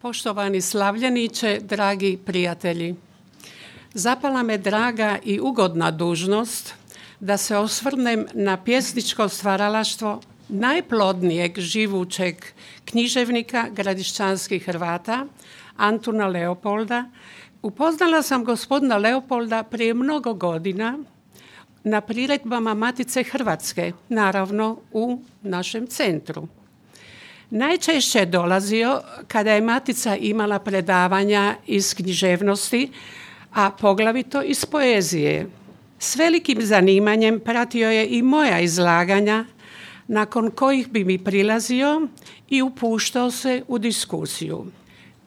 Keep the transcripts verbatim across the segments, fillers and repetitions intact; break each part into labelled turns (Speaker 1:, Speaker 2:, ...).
Speaker 1: Poštovani slavljeniče, dragi prijatelji, zapala me draga i ugodna dužnost da se osvrnem na pjesničko stvaralaštvo najplodnijeg živućeg književnika gradišćanskih Hrvata, Antuna Leopolda. Upoznala sam gospodina Leopolda prije mnogo godina na priredbama Matice Hrvatske, naravno u našem centru. Najčešće je dolazio kada je Matica imala predavanja iz književnosti, a poglavito iz poezije. S velikim zanimanjem pratio je i moja izlaganja, nakon kojih bi mi prilazio i upuštao se u diskusiju.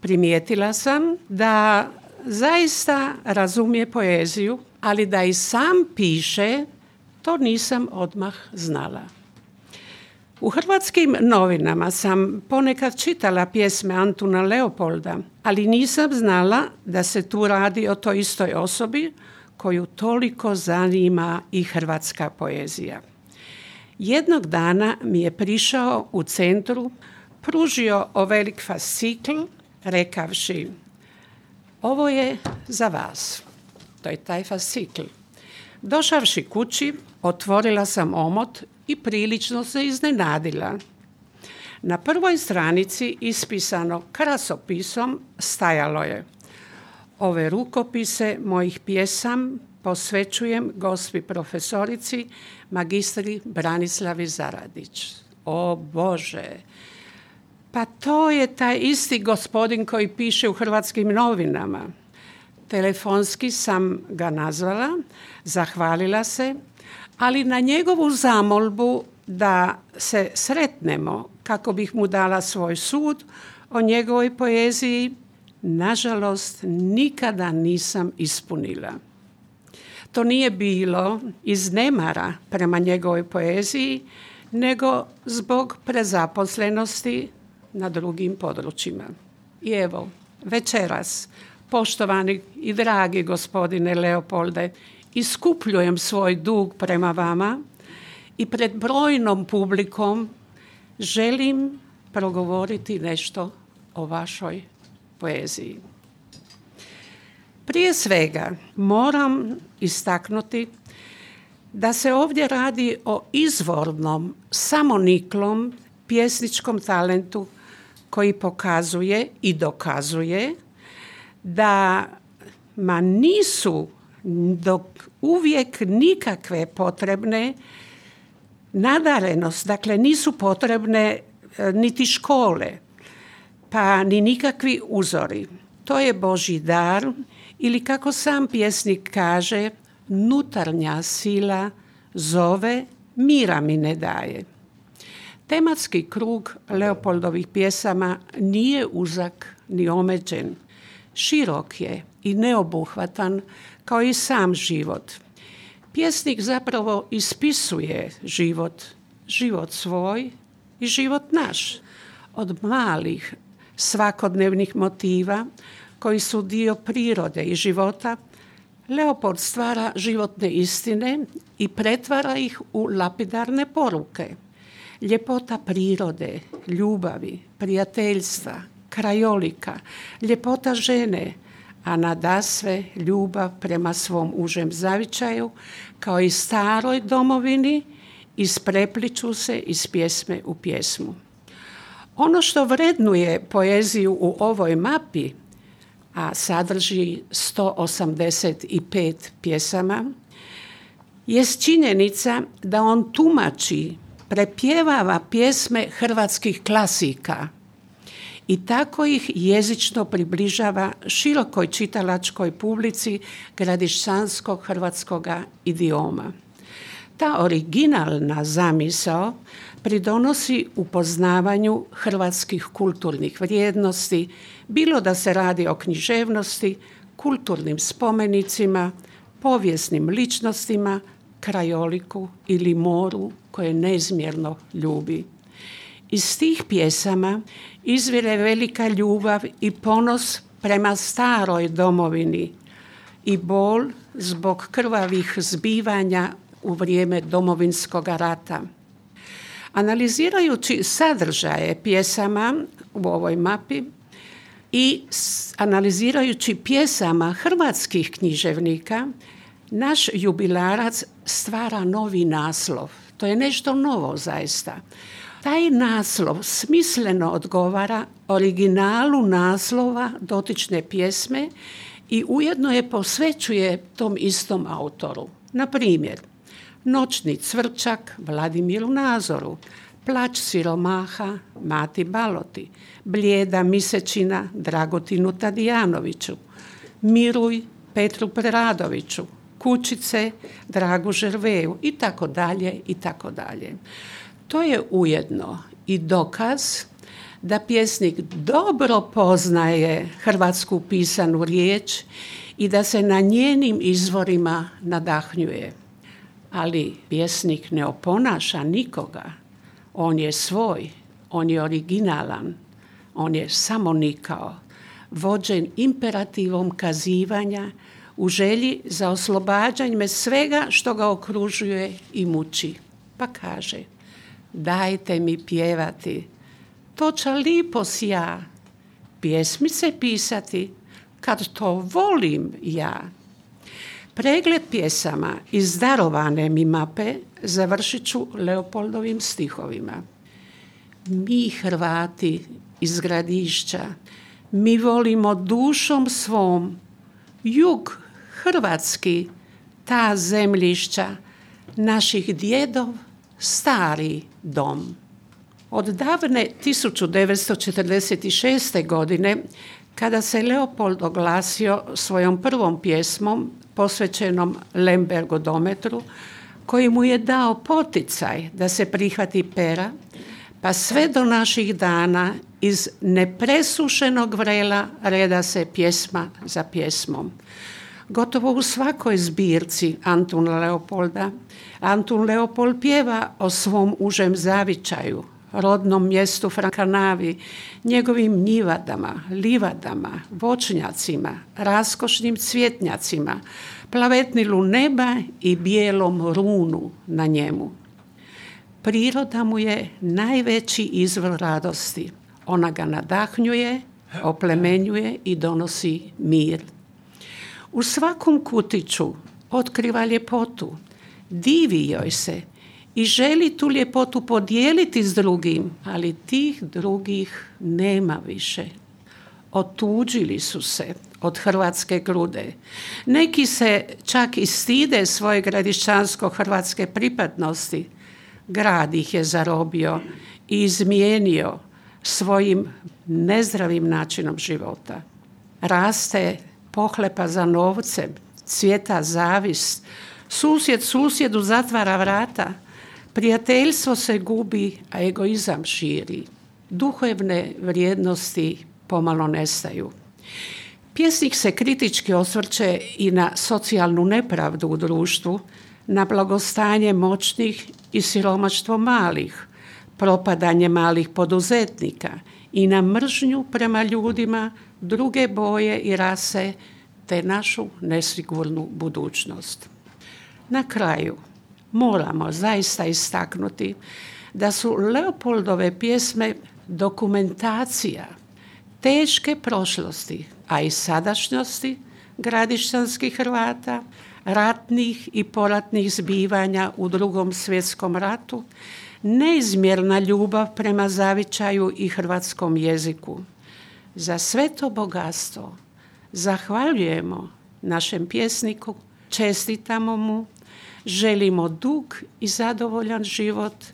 Speaker 1: Primijetila sam da zaista razumije poeziju, ali da i sam piše, to nisam odmah znala. U hrvatskim novinama sam ponekad čitala pjesme Antuna Leopolda, ali nisam znala da se tu radi o toj istoj osobi koju toliko zanima i hrvatska poezija. Jednog dana mi je prišao u centru, pružio ovelik fascikl, rekavši: ovo je za vas. To je taj fascikl. Došavši kući, otvorila sam omot i prilično se iznenadila. Na prvoj stranici, ispisano krasopisom, stajalo je: ove rukopise mojih pjesam posvećujem gospi profesorici magistri Branislavi Zaradić. O Bože! Pa to je taj isti gospodin koji piše u hrvatskim novinama. Telefonski sam ga nazvala, zahvalila se, ali na njegovu zamolbu da se sretnemo kako bih mu dala svoj sud o njegovoj poeziji, nažalost nikada nisam ispunila. To nije bilo iz nemara prema njegovoj poeziji, nego zbog prezaposlenosti na drugim područjima. I evo, večeras, poštovani i dragi gospodine Leopolde, iskupljujem svoj dug prema vama i pred brojnom publikom želim progovoriti nešto o vašoj poeziji. Prije svega moram istaknuti da se ovdje radi o izvornom, samoniklom pjesničkom talentu koji pokazuje i dokazuje da ma nisu dok uvijek nikakve potrebne nadarenost, dakle nisu potrebne niti škole, pa ni nikakvi uzori. To je Božji dar ili, kako sam pjesnik kaže, nutarnja sila zove, mira mi ne daje. Tematski krug Leopoldovih pjesama nije uzak ni omeđen. Širok je i neobuhvatan kao i sam život. Pjesnik zapravo ispisuje život, život svoj i život naš. Od malih svakodnevnih motiva koji su dio prirode i života, Leopold stvara životne istine i pretvara ih u lapidarne poruke. Ljepota prirode, ljubavi, prijateljstva, krajolika, ljepota žene, a nadasve ljubav prema svom užem zavičaju, kao i staroj domovini, isprepliču se iz pjesme u pjesmu. Ono što vrednuje poeziju u ovoj mapi, a sadrži sto osamdeset pet pjesama, jest činjenica da on tumači, prepjevava pjesme hrvatskih klasika i tako ih jezično približava širokoj čitalačkoj publici gradišćanskog hrvatskoga idioma. Ta originalna zamisao pridonosi upoznavanju hrvatskih kulturnih vrijednosti, bilo da se radi o književnosti, kulturnim spomenicima, povijesnim ličnostima, krajoliku ili moru koje neizmjerno ljubi. Iz tih pjesama izvire velika ljubav i ponos prema staroj domovini i bol zbog krvavih zbivanja u vrijeme Domovinskog rata. Analizirajući sadržaje pjesama u ovoj mapi, I analizirajući pjesama hrvatskih književnika, naš jubilarac stvara novi naslov. To je nešto novo zaista. Taj naslov smisleno odgovara originalu naslova dotične pjesme i ujedno je posvećuje tom istom autoru. Na primjer, Noćni cvrčak Vladimiru Nazoru, Plač siromaha Mati Baloti, Blijeda misečina Dragotinu Tadijanoviću, Miruj Petru Preradoviću, Kućice Dragu Žerveju i tako dalje i tako dalje. To je ujedno i dokaz da pjesnik dobro poznaje hrvatsku pisanu riječ i da se na njenim izvorima nadahnjuje. Ali pjesnik ne oponaša nikoga. On je svoj, on je originalan, on je samonikao, vođen imperativom kazivanja u želji za oslobađanjem svega što ga okružuje i muči. Pa kaže: dajte mi pjevati, to će lipo sja, pjesmice pisati, kad to volim ja. Pregled pjesama iz darovane mi mape završit ću Leopoldovim stihovima. Mi Hrvati iz Gradišća, mi volimo dušom svom, jug hrvatski, ta zemljišća, naših djedov stari dom. Od davne tisuću devetsto četrdeset šeste. godine, kada se Leopold oglasio svojom prvom pjesmom posvećenom Lembergu dometru, koji mu je dao poticaj da se prihvati pera, pa sve do naših dana iz nepresušenog vrela reda se pjesma za pjesmom. Gotovo u svakoj zbirci Antuna Leopolda, Antun Leopold pjeva o svom užem zavičaju, rodnom mjestu Frankanavi, njegovim njivadama, livadama, voćnjacima, raskošnim cvjetnjacima, plavetnilu neba i bijelom runu na njemu. Priroda mu je najveći izvor radosti. Ona ga nadahnjuje, oplemenjuje i donosi mir. U svakom kutiću otkriva ljepotu, divi joj se i želi tu ljepotu podijeliti s drugim, ali tih drugih nema više. Otuđili su se od hrvatske grude. Neki se čak i stide svoje gradišćansko-hrvatske pripadnosti. Grad ih je zarobio i izmijenio svojim nezdravim načinom života. Raste pohlepa za novcem, cvjeta zavist, susjed susjedu zatvara vrata, prijateljstvo se gubi, a egoizam širi. Duhovne vrijednosti pomalo nestaju. Pjesnik se kritički osvrće i na socijalnu nepravdu u društvu, na blagostanje moćnih i siromaštvo malih, propadanje malih poduzetnika i na mržnju prema ljudima druge boje i rase te našu nesigurnu budućnost. Na kraju moramo zaista istaknuti da su Leopoldove pjesme dokumentacija teške prošlosti, a i sadašnjosti gradišćanskih Hrvata, ratnih i poratnih zbivanja u Drugom svjetskom ratu, neizmjerna ljubav prema zavičaju i hrvatskom jeziku. Za sve to bogatstvo zahvaljujemo našem pjesniku, čestitamo mu, želimo dug i zadovoljan život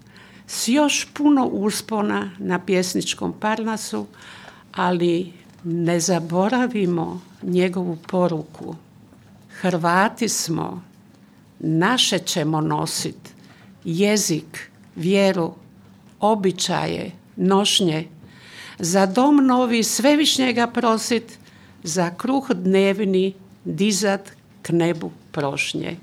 Speaker 1: s još puno uspona na pjesničkom Parnasu, ali ne zaboravimo njegovu poruku. Hrvati smo, naše ćemo nositi, jezik, vjeru, običaje, nošnje, za dom novi svevišnjega prosit, za kruh dnevni dizat k nebu prošnje.